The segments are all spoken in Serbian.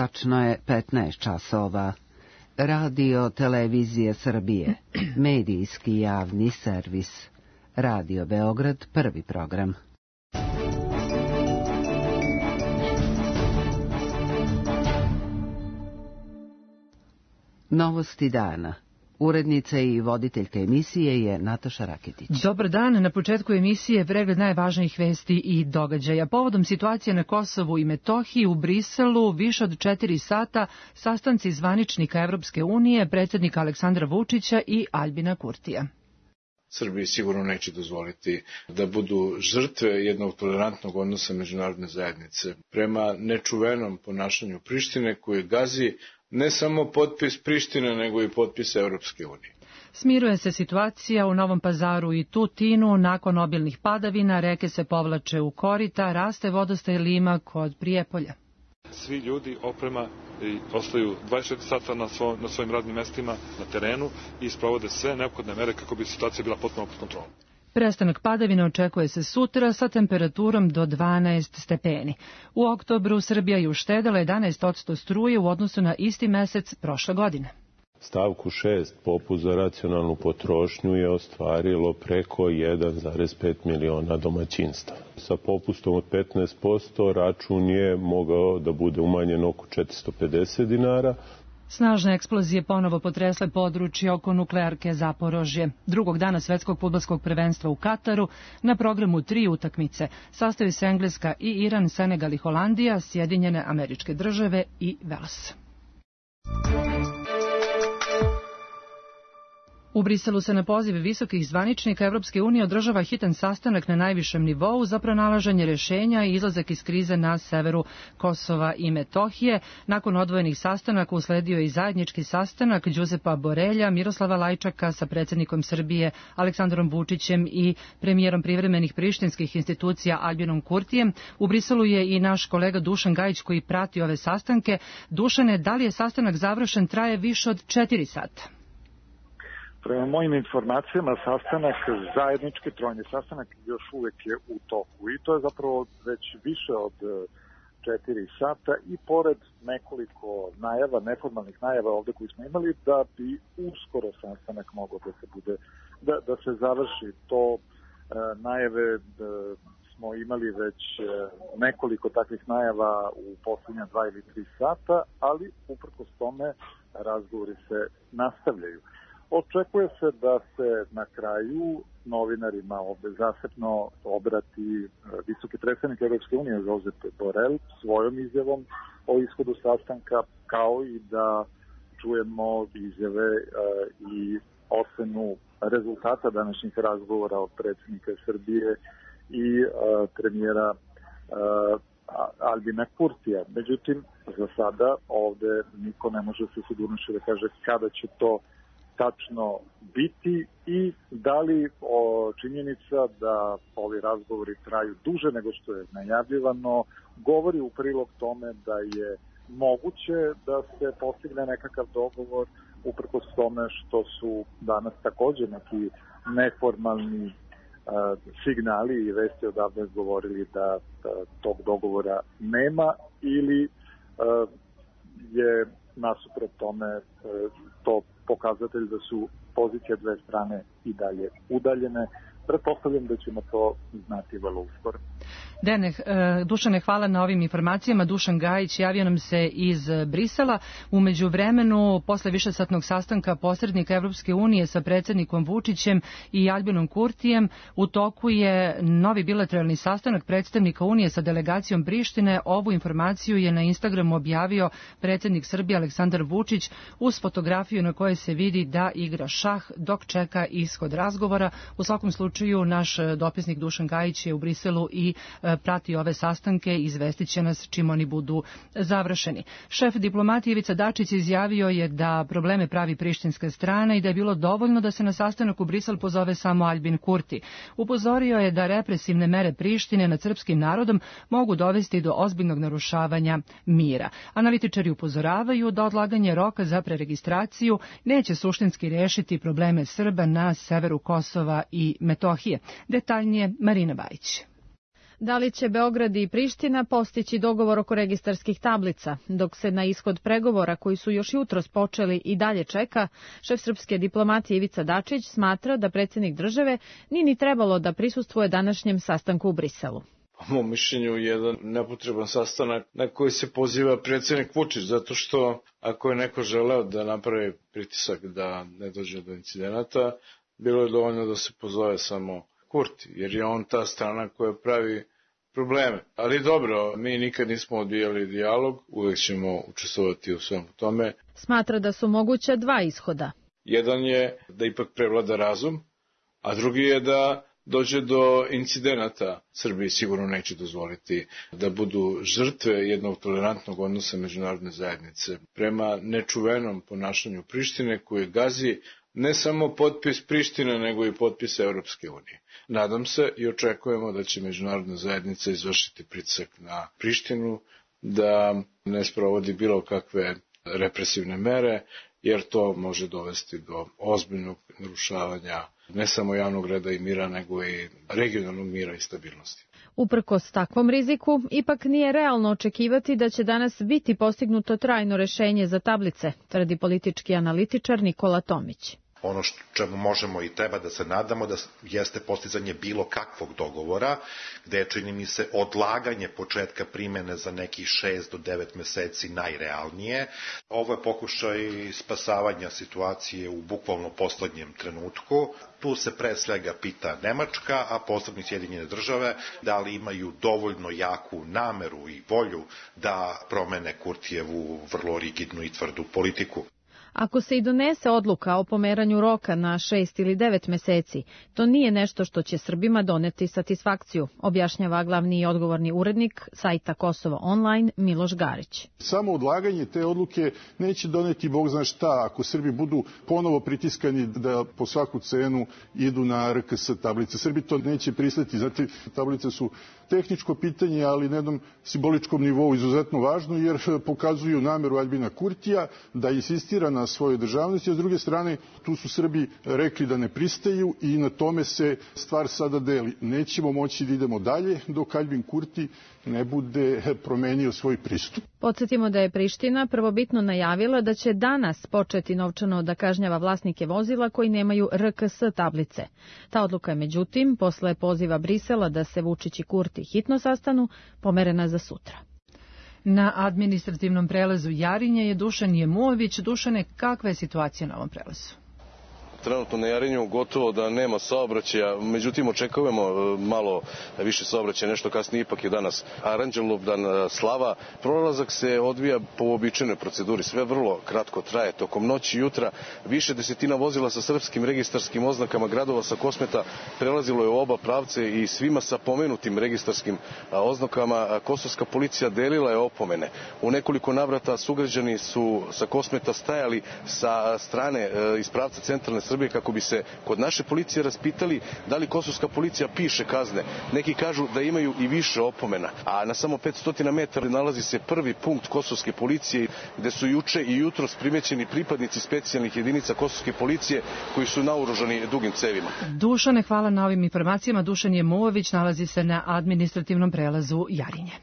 Tačno je 15 časova. Radio Televizije Srbije, medijski javni servis. Radio Beograd, prvi program. Novosti dana. Urednica i voditeljka emisije je Nataša Raketić. Dobar dan, na početku emisije pregled najvažnijih vesti i događaja. Povodom situacije na Kosovu i Metohiji u Briselu više od 4 sata sastanci zvaničnika Evropske unije, predsjednika Aleksandra Vučića i Aljbina Kurtija. Srbiji sigurno neće dozvoliti da budu žrtve jednog tolerantnog odnosa međunarodne zajednice prema nečuvenom ponašanju Prištine koje gazi ne samo potpis Prištine, nego i potpis Europske unije. Smiruje se situacija u Novom Pazaru i Tutinu. Nakon obilnih padavina reke se povlače u korita, raste vodostaj Lima kod Prijepolja. Svi ljudi, oprema ostaju 24 sata na svojim radnim mestima, na terenu i sprovode sve neophodne mere kako bi situacija bila potpuno pod kontrolom. Prestanak padavina očekuje se sutra sa temperaturom do 12 stepeni. U oktobru Srbija je uštedela 11% struje u odnosu na isti mesec prošle godine. Stavku 6 popust za racionalnu potrošnju je ostvarilo preko 1,5 miliona domaćinstava. Sa popustom od 15% račun je mogao da bude umanjen oko 450 dinara. Snažne eksplozije ponovo potresle područje oko nuklearke Zaporožje. Drugog dana svetskog fudbalskog prvenstva u Kataru na programu 3 utakmice sastaju se Engleska i Iran, Senegal i Holandija, Sjedinjene Američke Države i Vels. U Briselu se na poziv visokih zvaničnika Evropske unije održava hitan sastanak na najvišem nivou za pronalaženje rješenja i izlazak iz krize na severu Kosova i Metohije. Nakon odvojenih sastanaka usledio je i zajednički sastanak Đuzepa Borelja, Miroslava Lajčaka sa predsjednikom Srbije Aleksandrom Vučićem i premijerom privremenih prištinskih institucija Aljbinom Kurtijem. U Briselu je i naš kolega Dušan Gajić koji prati ove sastanke. Dušane, da li je sastanak završen, traje više od 4 sata? Prema mojim informacijama, zajednički trojni sastanak još uvek je u toku i to je zapravo već više od 4 sata i pored nekoliko najava, neformalnih najava ovde koji smo imali, da bi uskoro sastanak mogao da se završi. To najave smo imali već nekoliko takvih najava u posljednja 2 ili 3 sata, ali uprkos tome razgovori se nastavljaju. Očekuje se da se na kraju novinarima ovde zasebno obrati visoki predstavnik Evropske unije Josep Borel svojom izjavom o ishodu sastanka, kao i da čujemo izjave i ocenu rezultata današnjih razgovora od predsjednika Srbije i premijera Aljbina Kurtija. Međutim, za sada ovde niko ne može se sigurnošću da kaže kada će to tačno biti i da li činjenica da ovi razgovori traju duže nego što je najavljivano govori u prilog tome da je moguće da se postigne nekakav dogovor uprkos tome što su danas također neki neformalni signali i vesti odavde govorili da tog dogovora nema ili je nasuprot tome to pokazatelj da su pozicije dve strane i dalje udaljene. Pretpostavljam da ćemo to znati vrlo uskoro. Dušane, hvala na ovim informacijama. Dušan Gajić javio nam se iz Brisela. U međuvremenu, posle višesatnog sastanka posrednika Evropske unije sa predsjednikom Vučićem i Aljbinom Kurtijem, u toku je novi bilateralni sastanak predstavnika Unije sa delegacijom Prištine. Ovu informaciju je na Instagramu objavio predsjednik Srbije Aleksandar Vučić uz fotografiju na kojoj se vidi da igra šah dok čeka ishod razgovora. U svakom slučaju, naš dopisnik Dušan Gajić je u Briselu i prati ove sastanke i izvestit će nas čim oni budu završeni. Šef diplomatije Ivica Dačić izjavio je da probleme pravi prištinska strana i da je bilo dovoljno da se na sastanak u Brisel pozove samo Aljbin Kurti. Upozorio je da represivne mere Prištine nad srpskim narodom mogu dovesti do ozbiljnog narušavanja mira. Analitičari upozoravaju da odlaganje roka za preregistraciju neće suštinski rešiti probleme Srba na severu Kosova i Metohije. Detaljnije Marina Bajić. Da li će Beograd i Priština postići dogovor oko registarskih tablica? Dok se na ishod pregovora koji su još jutros počeli i dalje čeka, šef srpske diplomatije Ivica Dačić smatra da predsjednik države nije ni trebalo da prisustvuje današnjem sastanku u Briselu. Po mom mišljenju jedan nepotreban sastanak na koji se poziva predsjednik Vučić, zato što ako je neko želeo da napravi pritisak da ne dođe do incidenata, bilo je dovoljno da se pozove samo Kurti, jer je on ta strana koja pravi probleme. Ali dobro, mi nikad nismo odbijali dijalog, uvek ćemo učestvovati u svemu tome. Smatra da su moguća dva ishoda. Jedan je da ipak prevlada razum, a drugi je da dođe do incidenata. Srbiji sigurno neće dozvoliti da budu žrtve jednog tolerantnog odnosa međunarodne zajednice prema nečuvenom ponašanju Prištine koje gazi ne samo potpis Prištine, nego i potpis Europske unije. Nadam se i očekujemo da će međunarodna zajednica izvršiti pritisak na Prištinu, da ne sprovodi bilo kakve represivne mere, jer to može dovesti do ozbiljnog narušavanja ne samo javnog reda i mira, nego i regionalnog mira i stabilnosti. Uprkos takvom riziku, ipak nije realno očekivati da će danas biti postignuto trajno rešenje za tablice, tvrdi politički analitičar Nikola Tomić. Ono čemu možemo i treba da se nadamo da jeste postizanje bilo kakvog dogovora, gde je, čini mi se, odlaganje početka primene za nekih 6 do 9 meseci najrealnije. Ovo je pokušaj spasavanja situacije u bukvalno poslednjem trenutku. Tu se pre svega pita Nemačka, a posebno Sjedinjene države, da li imaju dovoljno jaku nameru i volju da promene Kurtijevu vrlo rigidnu i tvrdu politiku. Ako se i donese odluka o pomeranju roka na 6 ili 9 meseci, to nije nešto što će Srbima doneti satisfakciju, objašnjava glavni i odgovorni urednik sajta Kosovo Online Miloš Garić. Samo odlaganje te odluke neće doneti Bog zna šta ako Srbi budu ponovo pritiskani da po svaku cenu idu na RKS tablice. Srbi to neće pristati, znate, tablice su tehničko pitanje, ali na jednom simboličkom nivou izuzetno važno, jer pokazuju nameru Aljbina Kurtija da insistira na svojoj državnosti, a s druge strane tu su Srbi rekli da ne pristaju i na tome se stvar sada deli. Nećemo moći da idemo dalje dok Aljbin Kurti ne bude promenio svoj pristup. Podsjetimo da je Priština prvobitno najavila da će danas početi novčano da kažnjava vlasnike vozila koji nemaju RKS tablice. Ta odluka je međutim, posle poziva Brisela da se Vučić i Kurti hitno sastanu, pomerena za sutra. Na administrativnom prelazu Jarinje je Dušan Jemuović. Dušane, kakva je situacija na ovom prelazu? Trenutno na Jarinju gotovo da nema saobraćaja, međutim očekujemo malo više saobraćaja, nešto kasnije, ipak je danas Aranđelovdan slava. Prolazak se odvija po uobičajenoj proceduri, sve vrlo kratko traje. Tokom noći i jutra više desetina vozila sa srpskim registarskim oznakama gradova sa Kosmeta prelazilo je u oba pravce i svima sa pomenutim registarskim oznakama kosovska policija delila je opomene. U nekoliko navrata sugrađani su sa Kosmeta stajali sa strane iz pravca centralne Srbije kako bi se kod naše policije raspitali da li kosovska policija piše kazne. Neki kažu da imaju i više opomena. A na samo 500 metara nalazi se prvi punkt kosovske policije gde su juče i jutros primećeni pripadnici specijalnih jedinica kosovske policije koji su naoružani dugim cevima. Dušane, hvala na ovim informacijama. Dušan Jemuović nalazi se na administrativnom prelazu Jarinje.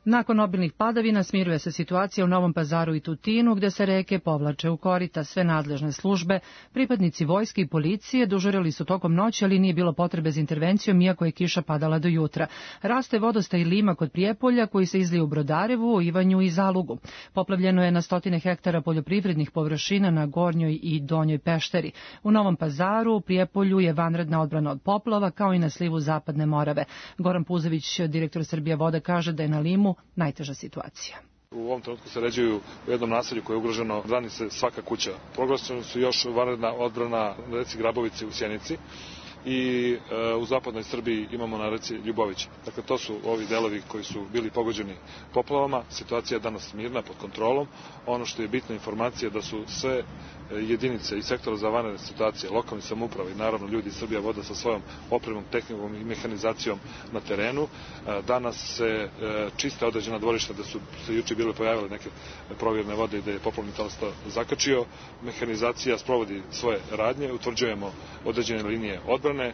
Nakon obilnih padavina smiruje se situacija u Novom Pazaru i Tutinu, gde se reke povlače u korita. Sve nadležne službe, pripadnici vojske i policije dežurali su tokom noći, ali nije bilo potrebe za intervencijom, iako je kiša padala do jutra. Raste vodostaj Lima kod Prijepolja, koji se izlije u Brodarevu, Ivanju i Zalugu. Poplavljeno je na 100 hektara poljoprivrednih površina na Gornjoj i Donjoj Pešteri. U Novom Pazaru, u Prijepolju je vanredna odbrana od poplava, kao i na slivu Zapadne Morave. Goran Puzović, direktor Srbija Voda, kaže da je na Limu najteža situacija. U ovom trenutku se ređuju u jednom naselju koje je ugroženo, brani se svaka kuća. Proglašeni su još vanredna odbrana na reci Grabovici u Sjenici. i u zapadnoj Srbiji imamo na reci Ljubović. Dakle, to su ovi delovi koji su bili pogođeni poplavama. Situacija je danas mirna, pod kontrolom. Ono što je bitna informacija da su sve jedinice i sektora za vanredne situacije, lokalne samouprave i naravno ljudi iz Srbija voda sa svojom opremom, tehnikom i mehanizacijom na terenu. Danas se čiste određena dvorišta da su se juče bile pojavile neke provjerne vode i da je poplavni talas to zakačio. Mehanizacija sprovodi svoje radnje, utvrđujemo određene linije odbrane.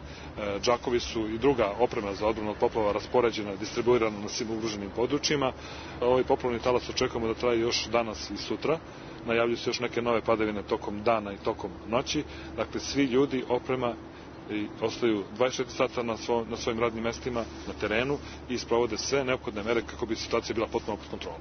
Džakovi su i druga oprema za odbranu od poplava raspoređena, distribuirana na svim ugroženim područjima. Ovaj poplavni talas očekujemo da traje još danas i sutra. Najavljuju se još neke nove padavine tokom dana i tokom noći. Dakle, svi ljudi, oprema ostaju 24 sata na svojim radnim mestima na terenu i sprovode sve neophodne mere kako bi situacija bila potpuno pod kontrolom.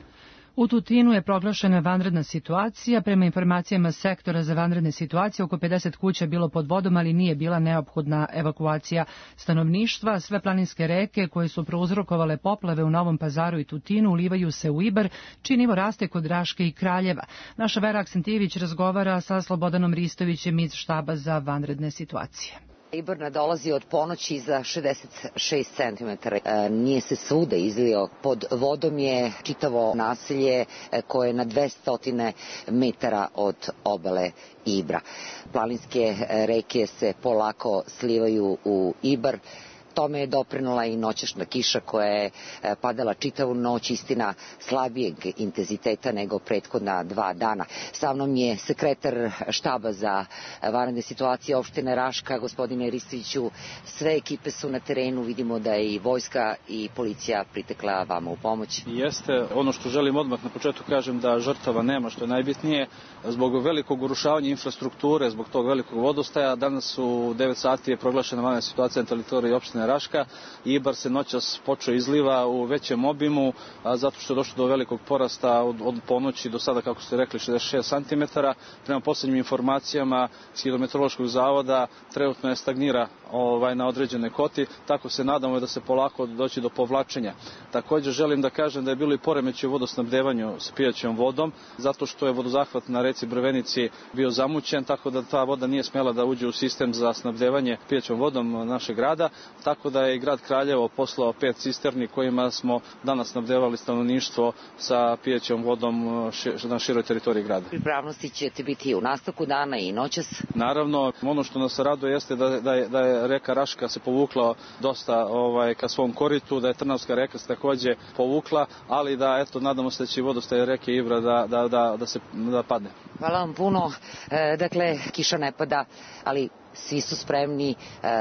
U Tutinu je proglašena vanredna situacija. Prema informacijama sektora za vanredne situacije, oko 50 kuća je bilo pod vodom, ali nije bila neophodna evakuacija stanovništva. Sve planinske reke koje su prouzrokovale poplave u Novom Pazaru i Tutinu ulivaju se u Ibar, čiji nivo raste kod Raške i Kraljeva. Naša Vera Aksentijević razgovara sa Slobodanom Ristovićem iz štaba za vanredne situacije. Ibar nadolazi od ponoći za 66 cm. Nije se svuda izlio. Pod vodom je čitavo naselje koje je na 200 metara od obale Ibra. Planinske reke se polako slivaju u Ibar. Tome je doprinula i noćašnja kiša koja je padala čitavu noć, istina slabijeg intenziteta nego prethodna 2 dana. Sa mnom je sekretar štaba za vanredne situacije opštine Raška, gospodine Ristoviću. Sve ekipe su na terenu, vidimo da je i vojska i policija pritekla vama u pomoć. Jeste, ono što želim odmah na početku kažem da žrtava nema, što je najbitnije. Zbog velikog urušavanja infrastrukture, zbog tog velikog vodostaja, danas u 9 sati je proglašena vanredna situacija na teritoriji opštine Raška. Ibar se noćas počeo izliva u većem obimu, zato što je došlo do velikog porasta od ponoći do sada, kako ste rekli, 66 cm. Prema poslednjim informacijama s Hidrometeorološkog zavoda trenutno je stagnira na određene koti, tako se nadamo da se polako doći do povlačenja. Također želim da kažem da je bilo i poremećaj u vodosnabdevanju s pijaćom vodom, zato što je vodozahvat na reci Brvenici bio zamućen, tako da ta voda nije smela da uđe u sistem za snabdevanje pijaćom vodom našeg grada, tako da je i grad Kraljevo poslao 5 cisterni kojima smo danas snabdevali stanovništvo sa pijaćom vodom na široj teritoriji grada. Pripravnosti ćete biti u nastavku dana i noćas? Naravno, ono što nas raduje jeste da je reka Raška se povukla dosta ka svom koritu, da je Trnavska reka se takođe povukla, ali da nadamo se da će vodostaj reke Ibra da padne. Hvala vam puno. Dakle, kiša ne pada, ali svi su spremni,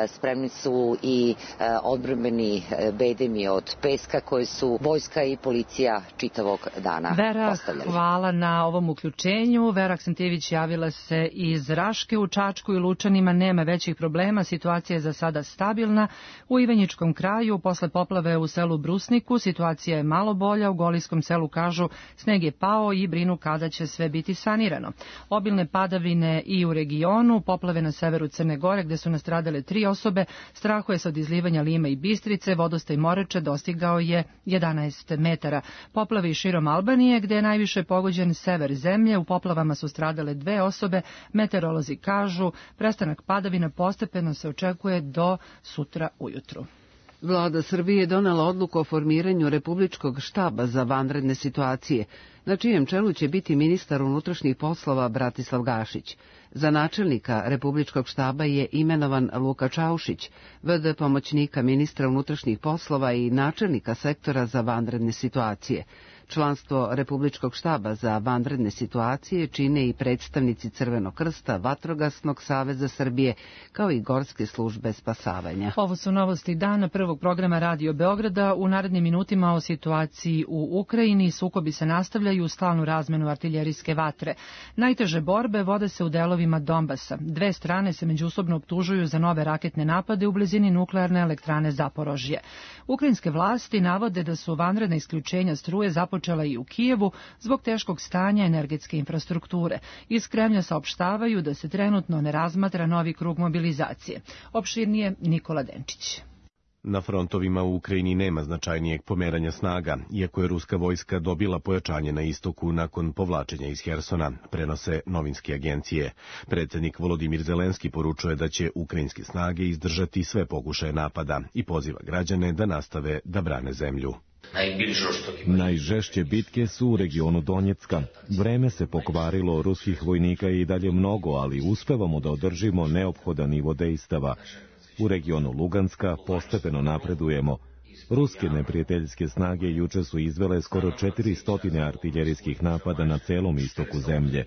spremni su i odbrambeni bedemi od peska koje su vojska i policija čitavog dana postavljali. Hvala na ovom uključenju. Vera Aksentijević javila se iz Raške. U Čačku i Lučanima nema većih problema, situacija je za sada stabilna. U Ivanjičkom kraju, posle poplave u selu Brusniku, situacija je malo bolja. U Golijskom selu kažu sneg je pao i brinu kada će sve biti sanirano. Obilne padavine i u regionu, poplave na severu Crne Gore gde su nastradale 3 osobe, strahuje se od izlivanja Lima i Bistrice, vodostaj Moreče dostigao je 11 metara. Poplave i širom Albanije gde je najviše pogođen sever zemlje, u poplavama su stradale 2 osobe, meteorolozi kažu prestanak padavina postepeno se očekuje do sutra ujutru. Vlada Srbije je donela odluku o formiranju Republičkog štaba za vanredne situacije, na čijem čelu će biti ministar unutrašnjih poslova Bratislav Gašić. Za načelnika Republičkog štaba je imenovan Luka Čaušić, v.d. pomoćnika ministra unutrašnjih poslova i načelnika sektora za vanredne situacije. Članstvo Republičkog štaba za vanredne situacije čine i predstavnici Crvenog krsta, Vatrogasnog saveza Srbije, kao i Gorske službe spasavanja. Ovo su novosti dana prvog programa Radio Beograda. U narednim minutima o situaciji u Ukrajini. Sukobi se nastavljaju u stalnu razmenu artiljerijske vatre. Najteže borbe vode se u delovima Donbasa. 2 strane se međusobno optužuju za nove raketne napade u blizini nuklearne elektrane Zaporožje. Ukrajinske vlasti navode da su vanredna isključenja struje započela i u Kijevu zbog teškog stanja energetske infrastrukture. Iz Kremlja saopštavaju da se trenutno ne razmatra novi krug mobilizacije. Opširnije Nikola Denčić. Na frontovima u Ukrajini nema značajnijeg pomeranja snaga, iako je ruska vojska dobila pojačanje na istoku nakon povlačenja iz Hersona, prenose novinske agencije. Predsjednik Volodimir Zelenski poručuje da će ukrajinske snage izdržati sve pokušaje napada i poziva građane da nastave da brane zemlju. Najžešće bitke su u regionu Donjecka. Vreme se pokvarilo, ruskih vojnika je i dalje mnogo, ali uspevamo da održimo neophodan nivo dejstava. U regionu Luganska postepeno napredujemo. Ruske neprijateljske snage juče su izvele skoro 400 artiljerijskih napada na celom istoku zemlje.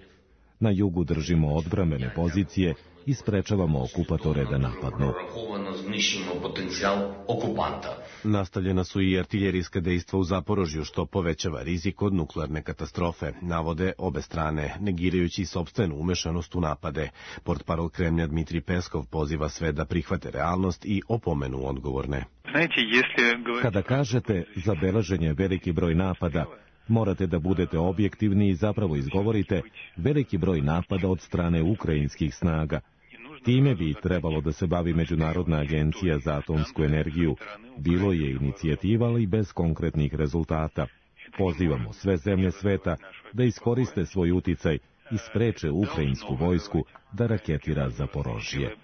Na jugu držimo odbrambene pozicije i sprečavamo okupatore da napadnu. Nastavljena su i artiljerijska dejstva u Zaporožju, što povećava rizik od nuklearne katastrofe, navode obe strane, negirajući sopstvenu umešanost u napade. Portparol Kremlja Dmitrij Peskov poziva sve da prihvate realnost i opomenu odgovorne. Kada kažete zabeležen je veliki broj napada, morate da budete objektivni i zapravo izgovorite veliki broj napada od strane ukrajinskih snaga. Time bi trebalo da se bavi Međunarodna agencija za atomsku energiju. Bilo je inicijativa, ali bez konkretnih rezultata. Pozivamo sve zemlje sveta da iskoriste svoj uticaj i spreče ukrajinsku vojsku da raketira Zaporožje.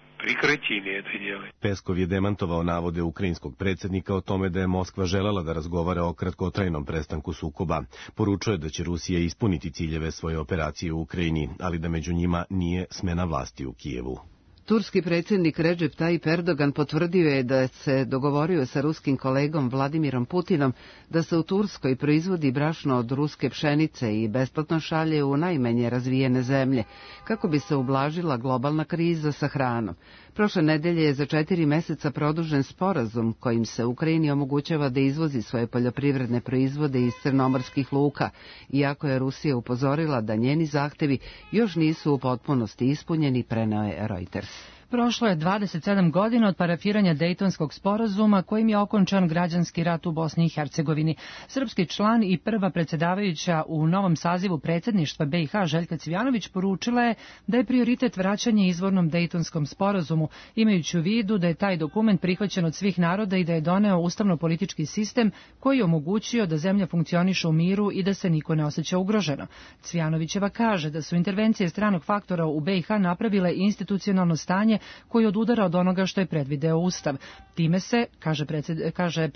Peskov je demantovao navode ukrajinskog predsjednika o tome da je Moskva želela da razgovara o kratkotrajnom prestanku sukoba. Poručuje da će Rusija ispuniti ciljeve svoje operacije u Ukrajini, ali da među njima nije smena vlasti u Kijevu. Turski predsjednik Recep Tayyip Erdogan potvrdio je da se dogovorio sa ruskim kolegom Vladimirom Putinom da se u Turskoj proizvodi brašno od ruske pšenice i besplatno šalje u najmanje razvijene zemlje, kako bi se ublažila globalna kriza sa hranom. Prošle nedelje je za 4 meseca produžen sporazum kojim se Ukrajini omogućava da izvozi svoje poljoprivredne proizvode iz crnomorskih luka, iako je Rusija upozorila da njeni zahtevi još nisu u potpunosti ispunjeni, preneo je Reuters. Prošlo je 27 godina od parafiranja Dejtonskog sporazuma kojim je okončan građanski rat u Bosni i Hercegovini. Srpski član i prva predsjedavajuća u novom sazivu predsjedništva BiH Željka Cvijanović poručila je da je prioritet vraćanje izvornom Dejtonskom sporazumu, imajući u vidu da je taj dokument prihvaćen od svih naroda i da je doneo ustavno-politički sistem koji je omogućio da zemlja funkcioniše u miru i da se niko ne osjeća ugroženo. Cvijanovićeva kaže da su intervencije stranog faktora u BiH napravile institucionalno stanje koji odudara od onoga što je predvideo Ustav. Time se, kaže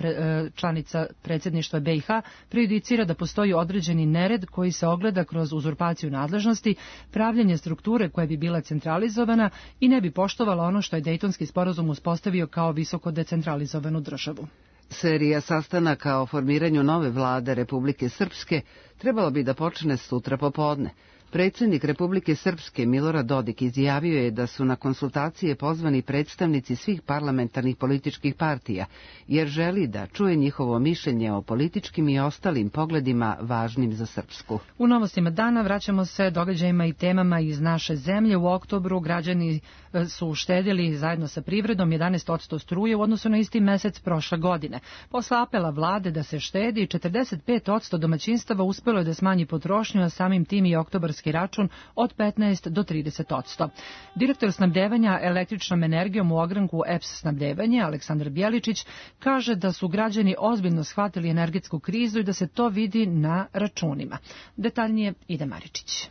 članica predsjedništva BiH, prejudicira da postoji određeni nered koji se ogleda kroz uzurpaciju nadležnosti, pravljenje strukture koja bi bila centralizovana i ne bi poštovala ono što je Dejtonski sporazum uspostavio kao visoko decentralizovanu državu. Serija sastanaka o formiranju nove vlade Republike Srpske trebalo bi da počne sutra popodne. Predsjednik Republike Srpske Milorad Dodik izjavio je da su na konsultacije pozvani predstavnici svih parlamentarnih političkih partija, jer želi da čuje njihovo mišljenje o političkim i ostalim pogledima važnim za Srpsku. U novostima dana vraćamo se događajima i temama iz naše zemlje. U oktobru građani su uštedili zajedno sa privredom 11% struje u odnosu na isti mesec prošle godine. Posle apela vlade da se štedi, 45% domaćinstava uspelo je da smanji potrošnju, a samim tim i oktobarski račun od 15 do 30%. Direktor snabdevanja električnom energijom u ogranku EPS snabdevanje, Aleksandar Bjeličić, kaže da su građani ozbiljno shvatili energetsku krizu i da se to vidi na računima. Detaljnije Ida Maričić.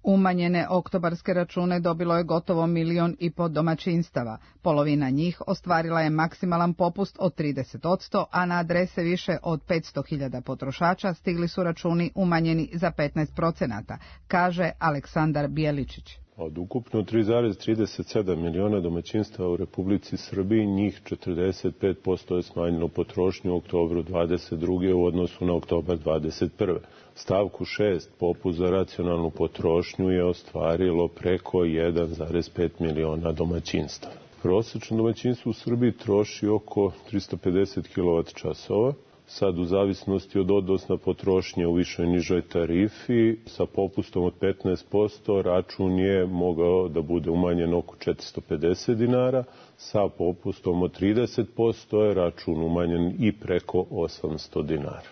Umanjene oktobarske račune dobilo je gotovo 1,5 miliona domaćinstava. Polovina njih ostvarila je maksimalan popust od 30%, a na adrese više od 500.000 potrošača stigli su računi umanjeni za 15%, kaže Aleksandar Bjeličić. Od ukupno 3,37 miliona domaćinstava u Republici Srbiji, njih 45% je smanjilo potrošnju u oktobru 22. u odnosu na oktobar 21. Stavku 6, popust za racionalnu potrošnju, je ostvarilo preko 1,5 miliona domaćinstava. Prosečno domaćinstvo u Srbiji troši oko 350 kWh, sad u zavisnosti od odnosna potrošnje u višoj nižoj tarifi, sa popustom od 15%, račun je mogao da bude umanjen oko 450 dinara, sa popustom od 30% je račun umanjen i preko 800 dinara.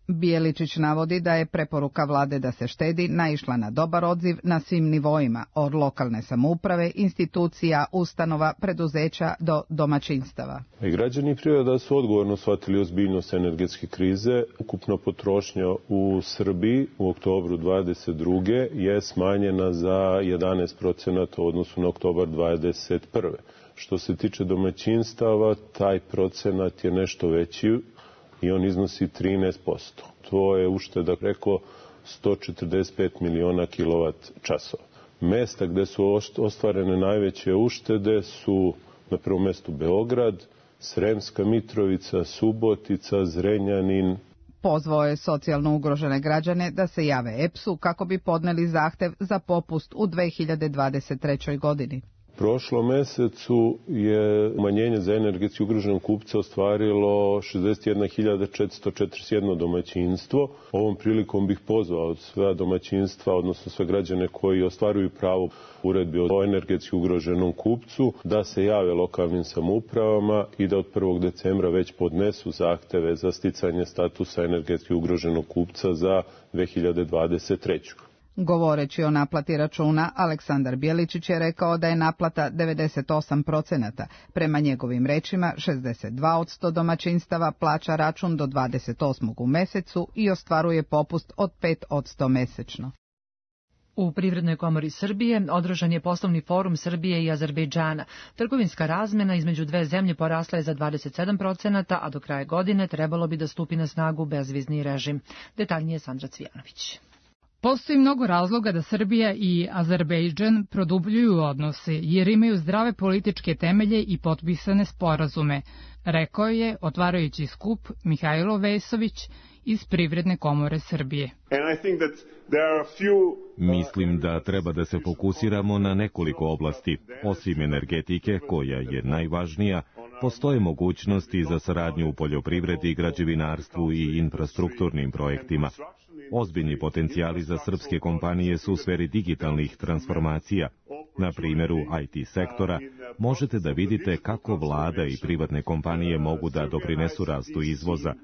Bijeličić navodi da je preporuka vlade da se štedi naišla na dobar odziv na svim nivoima, od lokalne samouprave, institucija, ustanova, preduzeća do domaćinstava. I građani i privreda su odgovorno shvatili ozbiljnost energetske krize. Ukupna potrošnja u Srbiji u oktobru 2022. je smanjena za 11% u odnosu na oktobar 2021. Što se tiče domaćinstava, taj procenat je nešto veći i on iznosi 13%. To je ušteda preko 145 miliona kilovat časova. Mesta gde su ostvarene najveće uštede su na prvom mestu Beograd, Sremska Mitrovica, Subotica, Zrenjanin. Pozvao je socijalno ugrožene građane da se jave EPS-u kako bi podneli zahtev za popust u 2023. godini. Prošlom mesecu je umanjenje za energetski ugroženog kupca ostvarilo 61.441 domaćinstvo. Ovom prilikom bih pozvao sva domaćinstva, odnosno sve građane koji ostvaruju pravo uredbi o energetski ugroženom kupcu, da se jave lokalnim samoupravama i da od 1. decembra već podnesu zahteve za sticanje statusa energetski ugroženog kupca za 2023. Govoreći o naplati računa, Aleksandar Bijeličić je rekao da je naplata 98%. Prema njegovim rečima, 62% domaćinstava plaća račun do 28. u mesecu i ostvaruje popust od 5% mesečno. U Privrednoj komori Srbije održan je poslovni forum Srbije i Azerbejdžana. Trgovinska razmena između dve zemlje porasla je za 27%, a do kraja godine trebalo bi da stupi na snagu bezvizni režim. Detaljnije Sandra Cvijanović. Postoji mnogo razloga da Srbija i Azerbejdžan produbljuju odnose, jer imaju zdrave političke temelje i potpisane sporazume, rekao je, otvarajući skup, Mihajlo Vesović iz Privredne komore Srbije. Mislim da treba da se fokusiramo na nekoliko oblasti. Osim energetike, koja je najvažnija, postoje mogućnosti za saradnju u poljoprivredi, građevinarstvu i infrastrukturnim projektima. Ozbiljni potencijali za srpske kompanije su u sferi digitalnih transformacija. Na primjeru IT sektora možete da vidite kako vlada i privatne kompanije mogu da doprinesu rastu izvoza.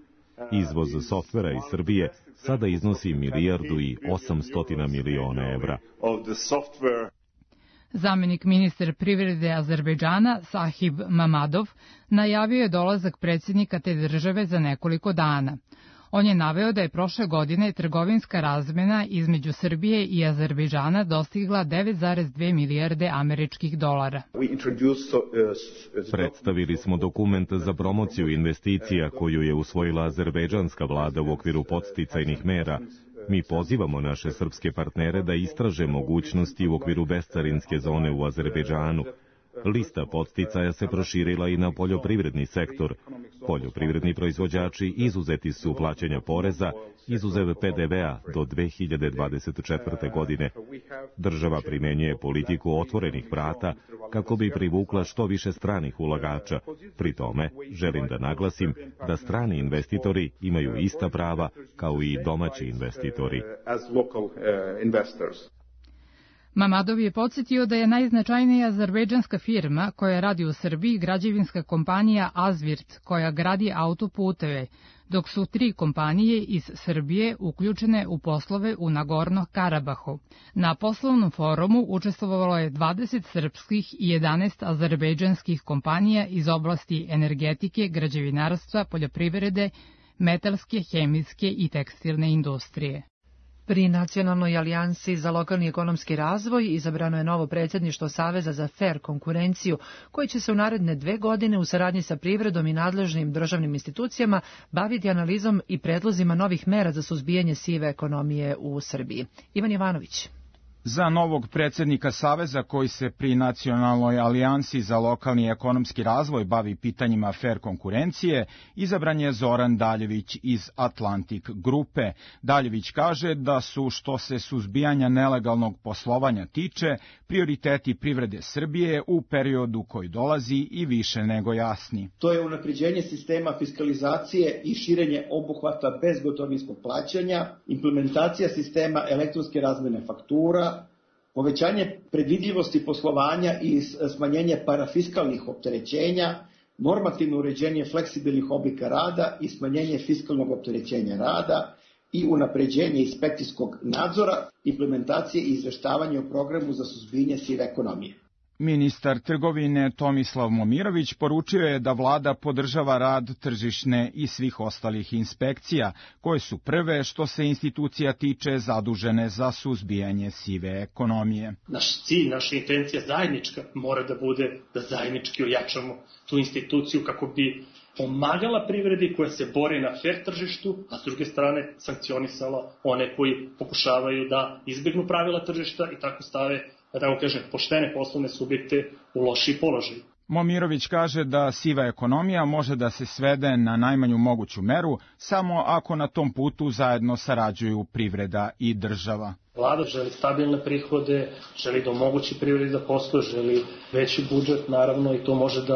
Izvoz softvera iz Srbije sada iznosi 1.800 miliona evra. Zamenik ministar privrede Azerbejdžana Sahib Mamadov najavio je dolazak predsjednika te države za nekoliko dana. On je naveo da je prošle godine trgovinska razmena između Srbije i Azerbejdžana dostigla 9,2 milijarde američkih dolara. Predstavili smo dokument za promociju investicija koju je usvojila azerbejdžanska vlada u okviru podsticajnih mera. Mi pozivamo naše srpske partnere da istraže mogućnosti u okviru bescarinske zone u Azerbejdžanu. Lista podsticaja se proširila i na poljoprivredni sektor. Poljoprivredni proizvođači izuzeti su plaćanja poreza, izuzev PDV-a do 2024. godine. Država primenjuje politiku otvorenih vrata kako bi privukla što više stranih ulagača. Pri tome, želim da naglasim da strani investitori imaju ista prava kao i domaći investitori. Mamadov je podsjetio da je najznačajnija azerbejdžanska firma koja radi u Srbiji građevinska kompanija Azvirt, koja gradi autoputeve, dok su 3 kompanije iz Srbije uključene u poslove u Nagorno Karabahu. Na poslovnom forumu učestvovalo je 20 srpskih i 11 azerbejdžanskih kompanija iz oblasti energetike, građevinarstva, poljoprivrede, metalske, hemijske i tekstilne industrije. Pri Nacionalnoj alijansi za lokalni ekonomski razvoj izabrano je novo predsjedništvo Saveza za fer konkurenciju, koji će se u naredne 2 godine u saradnji sa privredom i nadležnim državnim institucijama baviti analizom i predlozima novih mera za suzbijanje sive ekonomije u Srbiji. Ivan Jovanović. Za novog predsjednika Saveza koji se pri Nacionalnoj alijansi za lokalni ekonomski razvoj bavi pitanjima fer konkurencije, izabran je Zoran Daljević iz Atlantik grupe. Daljević kaže da su, što se suzbijanja nelegalnog poslovanja tiče, prioriteti privrede Srbije u periodu koji dolazi i više nego jasni. To je unapređenje sistema fiskalizacije i širenje obuhvata bezgotovinskog plaćanja, implementacija sistema elektronske razmene faktura, povećanje predvidljivosti poslovanja i smanjenje parafiskalnih opterećenja, normativno uređenje fleksibilnih oblika rada i smanjenje fiskalnog opterećenja rada i unapređenje inspekcijskog nadzora, implementacije i izveštavanje o programu za suzbijanje sive ekonomije. Ministar trgovine Tomislav Momirović poručio je da vlada podržava rad tržišne i svih ostalih inspekcija, koje su prve što se institucija tiče zadužene za suzbijanje sive ekonomije. Naš cilj, naša intencija zajednička mora da bude da zajednički ojačamo tu instituciju kako bi pomagala privredi koja se bori na fer tržištu, a s druge strane sankcionisala one koji pokušavaju da izbjegnu pravila tržišta i tako stave, da tako kažem, poštene poslovne subjekte u lošiji položaj. Momirović kaže da siva ekonomija može da se svede na najmanju moguću meru samo ako na tom putu zajedno sarađuju privreda i država. Vlada želi stabilne prihode, želi da omogući privredi da posluje, želi veći budžet, naravno, i to može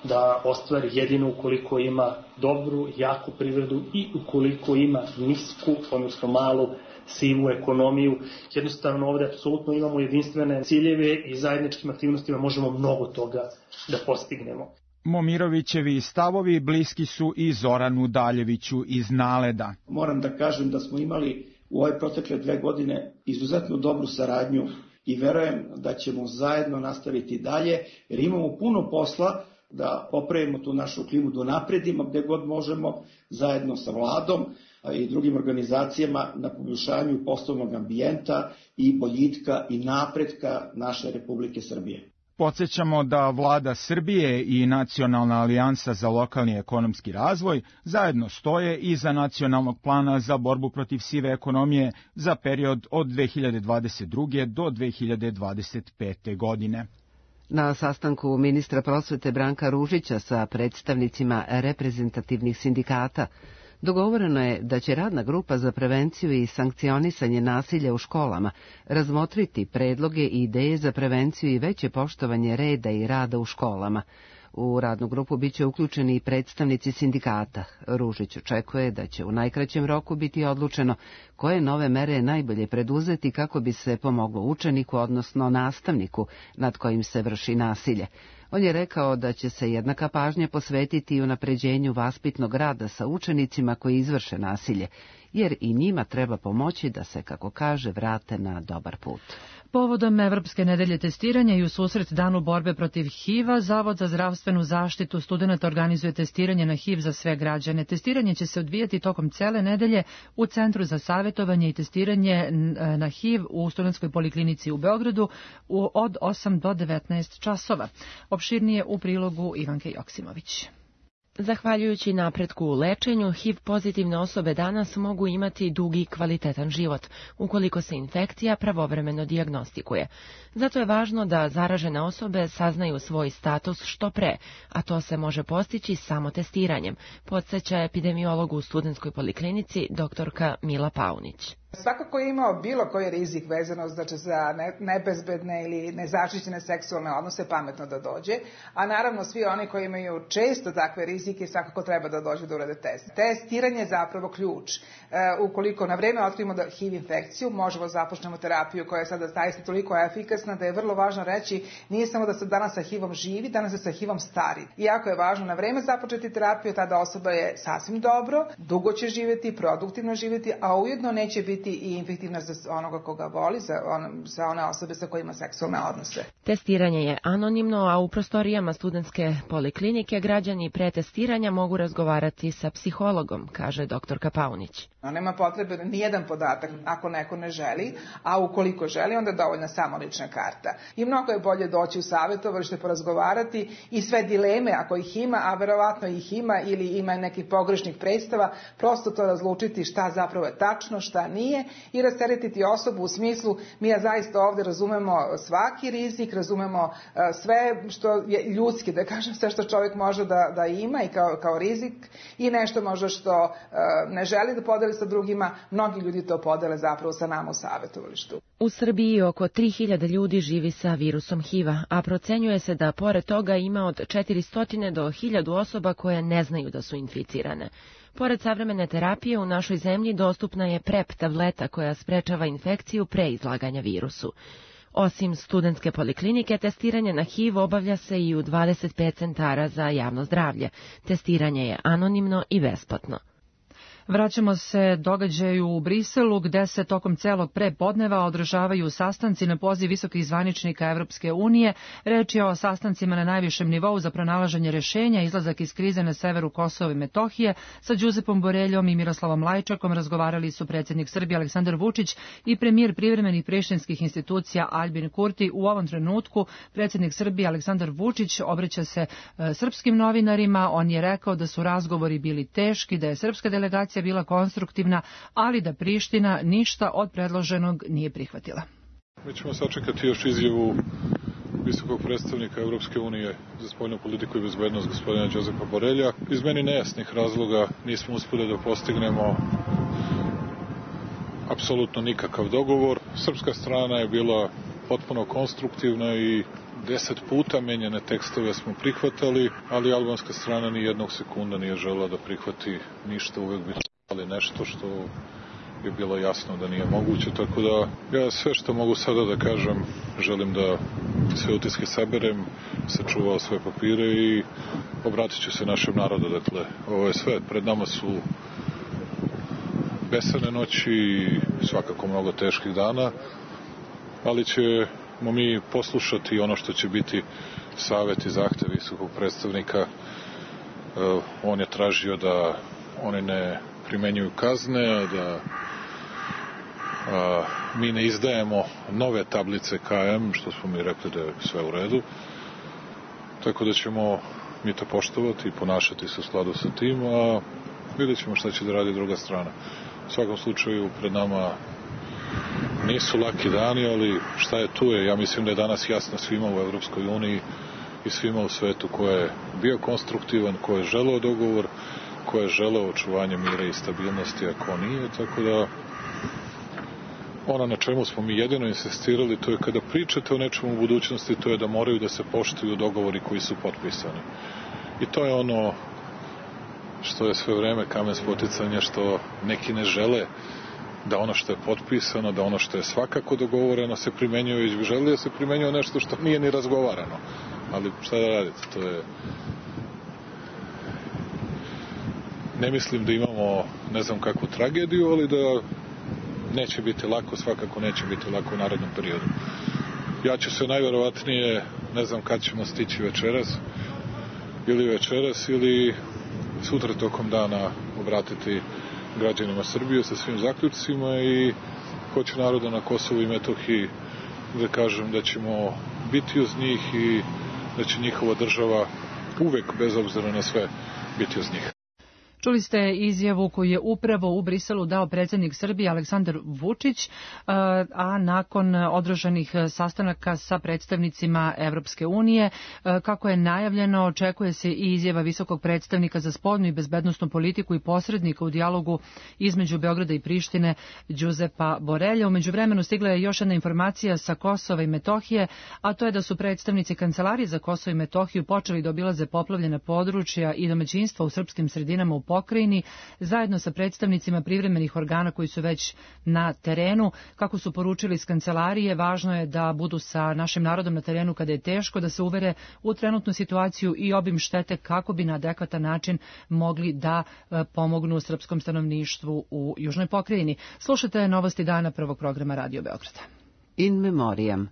da ostvari jedino ukoliko ima dobru, jaku privredu i ukoliko ima nisku, odnosno malu, sivu ekonomiju. Jednostavno ovdje apsolutno imamo jedinstvene ciljeve i zajedničkim aktivnostima možemo mnogo toga da postignemo. Momirovićevi stavovi bliski su i Zoranu Daljeviću iz Naleda. Moram da kažem da smo imali u ove protekle 2 godine izuzetno dobru saradnju i verujem da ćemo zajedno nastaviti dalje, jer imamo puno posla da popravimo tu našu klimu, da napredimo gde god možemo zajedno sa vladom i drugim organizacijama na poboljšanju poslovnog ambijenta i boljitka i napretka naše Republike Srbije. Podsećamo da Vlada Srbije i Nacionalna alijansa za lokalni ekonomski razvoj zajedno stoje iza nacionalnog plana za borbu protiv sive ekonomije za period od 2022. do 2025. godine. Na sastanku ministra prosvete Branka Ružića sa predstavnicima reprezentativnih sindikata dogovoreno je da će radna grupa za prevenciju i sankcionisanje nasilja u školama razmotriti predloge i ideje za prevenciju i veće poštovanje reda i rada u školama. U radnu grupu biće uključeni i predstavnici sindikata. Ružić očekuje da će u najkraćem roku biti odlučeno koje nove mere je najbolje preduzeti kako bi se pomoglo učeniku, odnosno nastavniku nad kojim se vrši nasilje. On je rekao da će se jednaka pažnja posvetiti i unapređenju vaspitnog rada sa učenicima koji izvrše nasilje, jer i njima treba pomoći da se, kako kaže, vrate na dobar put. Povodom Evropske nedelje testiranja i u susret danu borbe protiv HIV-a, Zavod za zdravstvenu zaštitu studenata organizuje testiranje na HIV za sve građane. Testiranje će se odvijati tokom cele nedelje u Centru za savjetovanje i testiranje na HIV u Studentskoj poliklinici u Beogradu od 8 do 19 časova. Opširnije u prilogu Ivanke Joksimović. Zahvaljujući napretku u lečenju, HIV pozitivne osobe danas mogu imati dugi i kvalitetan život, ukoliko se infekcija pravovremeno dijagnostikuje. Zato je važno da zaražene osobe saznaju svoj status što pre, a to se može postići samo testiranjem, podsjeća epidemiolog u Studentskoj poliklinici doktorka Mila Paunić. Svako ko je imao bilo koji rizik vezano znači za nebezbedne ili nezaštićene seksualne odnose, pametno da dođe, a naravno svi oni koji imaju često takve rizike svakako treba da dođu da urade test. Testiranje je zapravo ključ. Ukoliko na vreme otkrivimo da HIV infekciju, možemo započnemo terapiju koja je sada zaista toliko efikasna da je vrlo važno reći nije samo da se danas sa HIV-om živi, danas se sa HIV-om stari. Iako je važno na vreme započeti terapiju, tada osoba je sasvim dobro, dugo će živjeti, produktivno živjeti, a ujedno neće biti i infektivna za onoga koga voli, za one osobe sa kojima seksualne odnose. Testiranje je anonimno, a u prostorijama Studentske poliklinike građani pre testiranja mogu razgovarati sa psihologom, kaže doktorka Paunić. Nema potrebe nijedan podatak ako neko ne želi, a ukoliko želi onda je dovoljna samo lična karta. I mnogo je bolje doći u savjetovalište, porazgovarati i sve dileme ako ih ima, a verovatno ih ima ili ima nekih pogrešnih predstava, prosto to razlučiti šta zapravo je tačno, šta nije i rasteretiti osobu u smislu mi ja zaista ovdje razumemo svaki rizik, razumemo sve što je ljudski, da kažem sve što čovjek može da ima i kao rizik i nešto možda što ne želi da podeli sa drugima, mnogi ljudi to podele zapravo sa nama u savjetovalištu. U Srbiji oko 3000 ljudi živi sa virusom HIV-a, a procenjuje se da pored toga ima od 400 do 1000 osoba koje ne znaju da su inficirane. Pored savremene terapije u našoj zemlji dostupna je PrEP tableta koja sprečava infekciju pre izlaganja virusu. Osim studentske poliklinike, testiranje na HIV obavlja se i u 25 centara za javno zdravlje. Testiranje je anonimno i besplatno. Vraćamo se događaju u Briselu, gde se tokom celog prepodneva održavaju sastanci na poziv visokih zvaničnika Evropske unije. Reč je o sastancima na najvišem nivou za pronalaženje rešenja, izlazak iz krize na severu Kosova i Metohije. Sa Đuzepom Boreljom i Miroslavom Lajčakom razgovarali su predsjednik Srbije Aleksandar Vučić i premijer privremenih prištinskih institucija Aljbin Kurti. U ovom trenutku predsjednik Srbije Aleksandar Vučić obraća se srpskim novinarima. On je rekao da su razgovori bili teški, da je srpska delegacija bila konstruktivna, ali da Priština ništa od predloženog nije prihvatila. Mi ćemo sačekati još izjavu visokog predstavnika Evropske unije za spoljnu politiku i bezbednost gospodina Đuzepa Borelja. Iz meni nejasnih razloga nismo uspeli da postignemo apsolutno nikakav dogovor. Srpska strana je bila potpuno konstruktivna i 10 puta menjane tekstove smo prihvatali, ali albanska strana ni jednog sekunda nije želela da prihvati ništa, uvek bi ali nešto što je bilo jasno da nije moguće, tako da ja sve što mogu sada da kažem, želim da sve utiske saberem, sačuvao sve papire i obratit ću se našem narodu. Dakle, ovo je sve, pred nama su besane noći i svakako mnogo teških dana, ali ćemo mi poslušati ono što će biti savjet i zahtev visokog predstavnika. On je tražio da oni ne primenjuju kazne, da mi ne izdajemo nove tablice KM, što smo mi rekli da je sve u redu. Tako da ćemo mi to poštovati i ponašati se u skladu sa tim, a vidjet ćemo šta će da radi druga strana. U svakom slučaju pred nama nisu laki dani, ali šta je tu je. Ja mislim da je danas jasno svima u Evropskoj uniji i svima u svetu ko je bio konstruktivan, ko je želeo dogovor, ko je želeo očuvanje mira i stabilnosti, a ko nije, tako da ono na čemu smo mi jedino insistirali, to je kada pričate o nečemu u budućnosti, to je da moraju da se poštuju dogovori koji su potpisani. I to je ono što je sve vreme kamen spoticanja, što neki ne žele da ono što je potpisano, da ono što je svakako dogovoreno se primenjuje, već bi želeli da se primenjuje nešto što nije ni razgovarano. Ali šta da radite, to je... Ne mislim da imamo ne znam kakvu tragediju, ali da neće biti lako, svakako neće biti lako u narednom periodu. Ja ću se najverovatnije, ne znam kad ćemo stići večeras ili sutra tokom dana obratiti građanima Srbije sa svim zaključcima i hoću naroda na Kosovu i Metohiji da kažem da ćemo biti uz njih i da će njihova država uvek, bez obzira na sve, biti uz njih. Čuli ste izjavu koju je upravo u Briselu dao predsjednik Srbije Aleksandar Vučić, a nakon održanih sastanaka sa predstavnicima Evropske unije, kako je najavljeno, očekuje se i izjava visokog predstavnika za spoljnu i bezbednosnu politiku i posrednika u dijalogu između Beograda i Prištine, Đuzepa Borelja. U međuvremenu stigla je još jedna informacija sa Kosova i Metohije, a to je da su predstavnici Kancelarije za Kosovo i Metohiju počeli da obilaze poplavljena područja i domaćinstva u srpskim sredinama u pokrajini, zajedno sa predstavnicima privremenih organa koji su već na terenu. Kako su poručili iz kancelarije, važno je da budu sa našim narodom na terenu kada je teško, da se uvere u trenutnu situaciju i obim štete kako bi na adekvatan način mogli da pomognu srpskom stanovništvu u južnoj pokrajini. Slušajte novosti dana prvog programa Radio Beograda. In memoriam.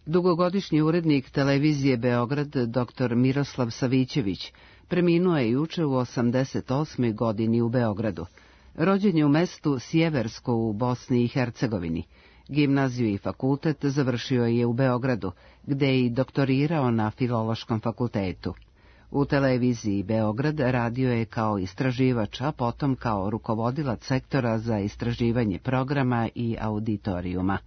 Dugogodišnji urednik televizije Beograd, dr. Miroslav Savićević, preminuo je juče u 88. godini u Beogradu. Rođen je u mestu Sjeversko u Bosni i Hercegovini. Gimnaziju i fakultet završio je u Beogradu, gde je i doktorirao na Filološkom fakultetu. U televiziji Beograd radio je kao istraživač, a potom kao rukovodilac sektora za istraživanje programa i auditorijuma.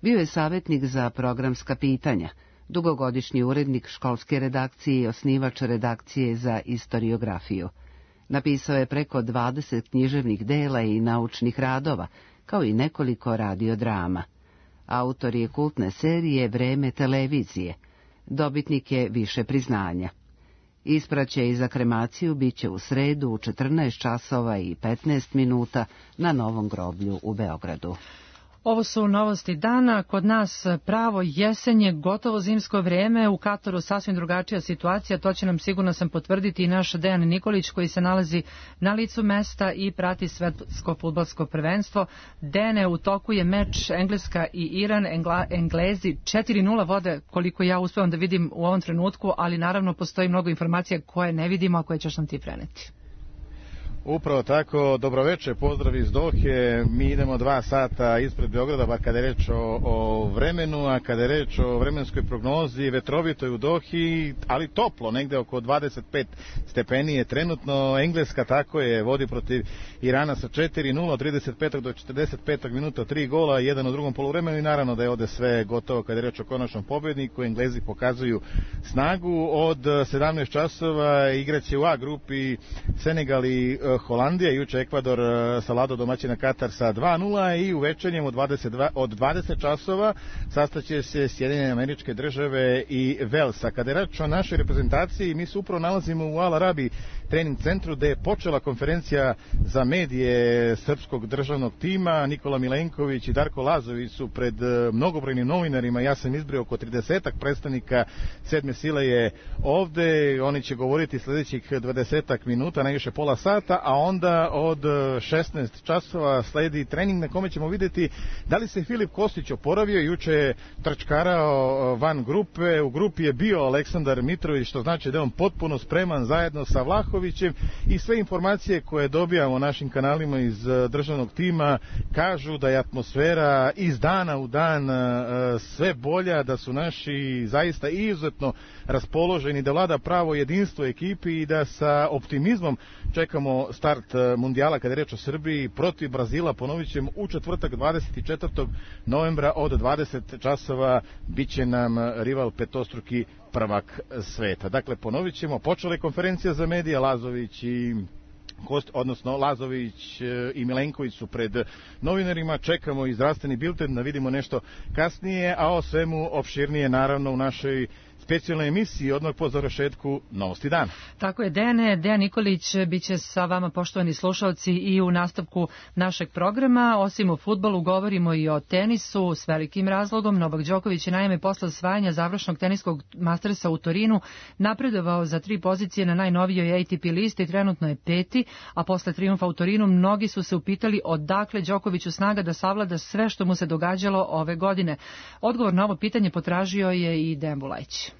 Bio je savjetnik za programska pitanja, dugogodišnji urednik školske redakcije i osnivač redakcije za istoriografiju. Napisao je preko 20 književnih dela i naučnih radova, kao i nekoliko radiodrama. Autor je kultne serije Vreme televizije. Dobitnik je više priznanja. Ispraćaj za kremaciju biće u sredu u 14 časova i 15 minuta na Novom groblju u Beogradu. Ovo su novosti dana. Kod nas pravo jesenje, gotovo zimsko vrijeme. U Kataru sasvim drugačija situacija. To će nam, sigurno sam, potvrditi i naš Dejan Nikolić koji se nalazi na licu mesta i prati svetsko fudbalsko prvenstvo. Dene, u toku je meč Engleska i Iran. Englezi 4-0 vode, koliko ja uspevam da vidim u ovom trenutku, ali naravno postoji mnogo informacija koje ne vidimo, a koje ćeš nam ti preneti. Upravo tako, dobroveče, pozdrav iz Dohe. Mi idemo 2 sata ispred Beograda, bar kada je reč o vremenu, a kada je reč o vremenskoj prognozi, vetrovito je u Dohi, ali toplo, negde oko 25 stepeni je trenutno. Engleska, tako je, vodi protiv Irana sa 4-0, od 35. do 45. minuta 3 gola, jedan u drugom poluvremenu i naravno da je ovde sve gotovo kada je reč o konačnom pobedniku. Englezi pokazuju snagu. Od 17 časova igraće u A grupi Senegal i Holandija, juče Ekvador Salado domaćina Katar sa 2-0 i u večernjem od 20 časova sastaće se Sjedinjene Američke Države i Velsa. Kada je reč o našoj reprezentaciji, mi se upravo nalazimo u Al Arabi trening centru gde je počela konferencija za medije srpskog državnog tima. Nikola Milenković i Darko Lazović su pred mnogobrojnim novinarima, ja sam izbrojao oko 30-ak predstavnika sedme sile je ovde, oni će govoriti sljedećih 20 minuta, najviše pola sata, a onda od 16 časova sledi trening na kome ćemo vidjeti da li se Filip Kostić oporavio. Juče je trčkarao van grupe, u grupi je bio Aleksandar Mitrović, što znači da je on potpuno spreman zajedno sa Vlahovićem i sve informacije koje dobijamo našim kanalima iz državnog tima kažu da je atmosfera iz dana u dan sve bolja, da su naši zaista izuzetno raspoloženi, da vlada pravo jedinstvo ekipi i da sa optimizmom čekamo start mundijala kada je reč o Srbiji protiv Brazila. Ponovit ćemo u četvrtak 24. novembra od 20 časova biće nam rival petostruki prvak sveta. Dakle, ponovit ćemo, počela je konferencija za medije, Lazović i Milenković su pred novinarima, čekamo i zdravstveni bilten da vidimo nešto kasnije, a o svemu opširnije naravno u našoj specijalnoj emisiji odmah po završetku Novosti dana. Tako je, Dejan Nikolić biće sa vama, poštovani slušalci, i u nastavku našeg programa. Osim o fudbalu govorimo i o tenisu s velikim razlogom. Novak Đoković je naime posle osvajanja završnog teniskog mastersa u Torinu napredovao za 3 pozicije na najnovijoj ATP listi, trenutno je 5. a posle trijumfa u Torinu mnogi su se upitali odakle Đokoviću snaga da savlada sve što mu se događalo ove godine. Odgovor na ovo pitanje potražio je i Dejan Bulajić.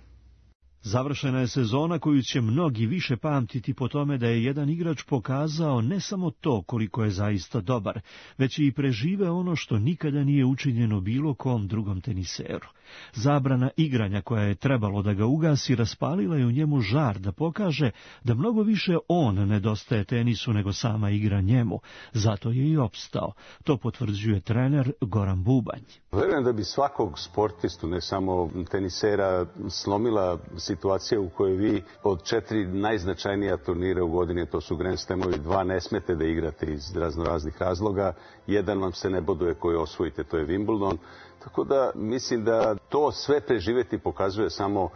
Završena je sezona koju će mnogi više pamtiti po tome da je jedan igrač pokazao ne samo to koliko je zaista dobar, već i prežive ono što nikada nije učinjeno bilo kom drugom teniseru. Zabrana igranja koja je trebalo da ga ugasi raspalila je u njemu žar da pokaže da mnogo više on nedostaje tenisu nego sama igra njemu. Zato je i opstao. To potvrđuje trener Goran Bubanj. Verujem da bi svakog sportistu, ne samo tenisera, slomila situacija u kojoj vi od 4 najznačajnija turnira u godini, to su Grand Slamovi, 2 ne smete da igrate iz raznoraznih razloga, jedan vam se ne boduje koji osvojite, to je Wimbledon. Tako da mislim da to sve preživeti pokazuje samo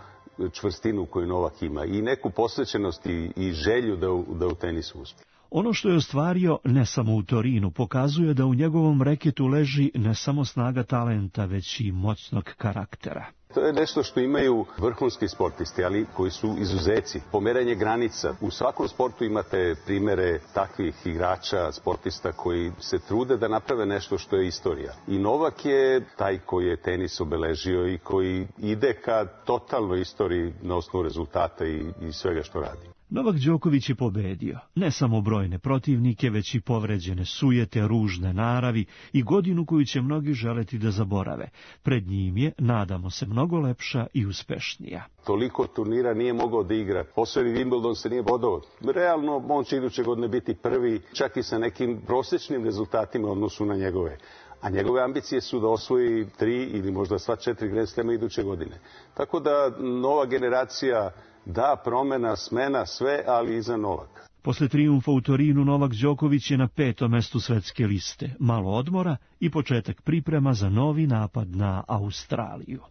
čvrstinu koju Novak ima i neku posvećenost i želju da u tenisu uspije. Ono što je ostvario ne samo u Torinu pokazuje da u njegovom reketu leži ne samo snaga talenta, već i moćnog karaktera. To je nešto što imaju vrhunski sportisti, ali koji su izuzeci. Pomeranje granica. U svakom sportu imate primere takvih igrača, sportista koji se trude da naprave nešto što je istorija. I Novak je taj koji je tenis obeležio i koji ide ka totalnoj istoriji na osnovu rezultata i svega što radi. Novak Đoković je pobedio ne samo brojne protivnike, već i povređene sujete, ružne naravi i godinu koju će mnogi želeti da zaborave. Pred njim je, nadamo se, mnogo lepša i uspešnija. Toliko turnira nije mogao da igra. Osvoji Wimbledon se nije bodao. Realno, on će iduće godine biti prvi, čak i sa nekim prosječnim rezultatima u odnosu na njegove. A njegove ambicije su da osvoji 3 ili možda sva 4 Grand Slema iduće godine. Tako da nova generacija, da, promena, smena, sve, ali iza Novaka. Posle trijumfa u Torinu Novak Đoković je na 5. mestu svetske liste. Malo odmora i početak priprema za novi napad na Australiju.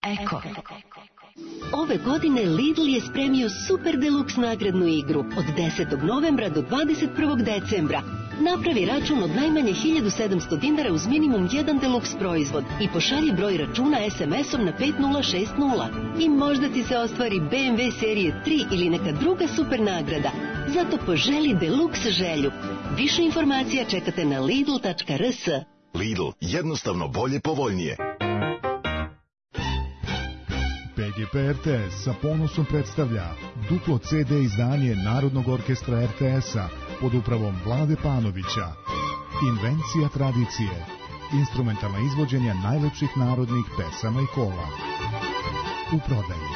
Eko. Ove godine Lidl je spremio super deluxe nagradnu igru od 10. novembra do 21. decembra. Napravi račun od najmanje 1700 dinara uz minimum 1 Deluxe proizvod i pošalji broj računa SMS-om na 5060. I možda ti se ostvari BMW serije 3 ili neka druga super nagrada. Zato poželi Deluxe želju. Više informacija čekate na lidl.rs. Lidl, jednostavno bolje, povoljnije. PGP RTS sa ponosom predstavlja duplo CD izdanje Narodnog orkestra RTS-a pod upravom Vlade Panovića. Invencija tradicije. Instrumentalna izvođenja najlepših narodnih pesama i kola. U prodaji.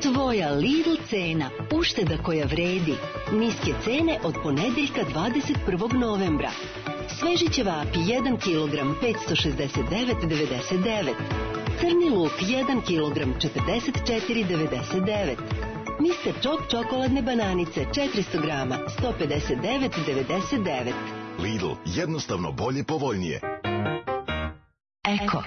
Tvoja Lidl cena. Ušteda koja vredi. Niske cene od ponedeljka 21. novembra. Sveži ćevapi 1 kg 569,99. Crni luk 1 kg 44,99. Mr. Čok čokoladne bananice 400 grama 159,99. Lidl, jednostavno bolje, povoljnije. Eko.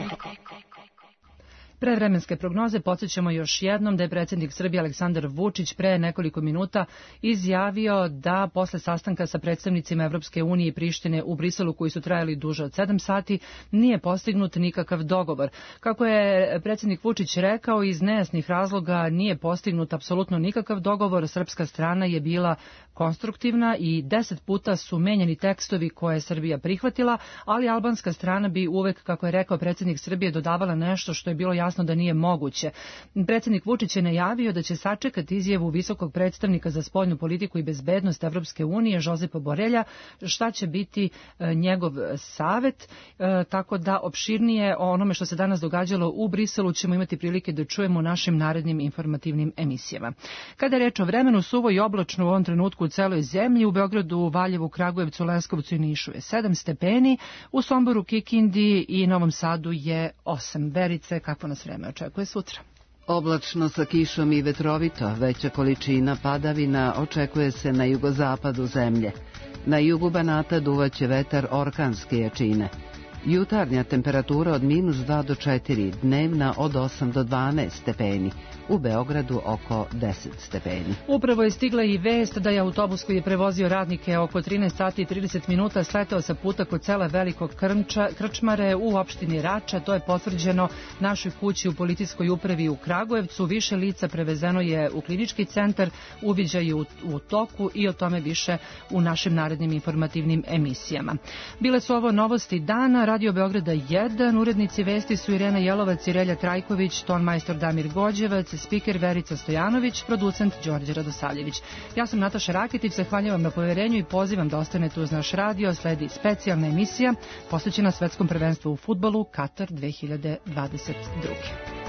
Pre vremenske prognoze podsjećamo još jednom da je predsjednik Srbije Aleksandar Vučić pre nekoliko minuta izjavio da posle sastanka sa predstavnicima Evropske unije i Prištine u Briselu koji su trajali duže od 7 sati nije postignut nikakav dogovor. Kako je predsjednik Vučić rekao, iz nejasnih razloga nije postignut apsolutno nikakav dogovor. Srpska strana je bila konstruktivna i 10 puta su menjani tekstovi koje je Srbija prihvatila, ali albanska strana bi uvek, kako je rekao predsjednik Srbije, dodavala nešto što je bilo jasno da nije moguće. Predsjednik Vučić je najavio da će sačekati izjavu visokog predstavnika za spoljnu politiku i bezbednost Evropske unije, Žozepa Borelja, šta će biti njegov savet, tako da opširnije o onome što se danas događalo u Briselu ćemo imati prilike da čujemo u našim narednim informativnim emisijama. Kada je reč o vremenu, suvo i oblačno u ovom trenutku u celoj zemlji, u Beogradu, Valjevu, Kragujevcu, Leskovcu i Nišu je 7 stepeni, u Somboru, Kikindi i Novom Sadu je 8. Verice, kako nas vreme očekuje sutra? Oblačno sa kišom i vetrovito, veća količina padavina očekuje se na jugozapadu zemlje. Na jugu Banata duvaće vetar orkanske jačine. Jutarnja temperatura od -2 do 4, dnevna od 8 do 12 stepeni. U Beogradu oko 10 stepeni. Upravo je stigla i vest da je autobus koji je prevozio radnike oko 13 sati i 30 minuta sletao sa puta kod sela Velikog Krčmare u opštini Rača. To je potvrđeno našoj kući u policijskoj upravi u Kragujevcu. Više lica prevezeno je u klinički centar, uviđaj u toku i o tome više u našim narednim informativnim emisijama. Bile su ovo novosti dana. Radio Beograda 1, urednici vesti su Irena Jelovac i Relja Trajković, tonmajstor Damir Gođevac, spiker Verica Stojanović, producent Đorđe Radosavljević. Ja sam Nataša Rakitić, zahvaljujem na poverenju i pozivam da ostanete uz naš radio. Sledi specijalna emisija posvećena svetskom prvenstvu u fudbalu Katar 2022.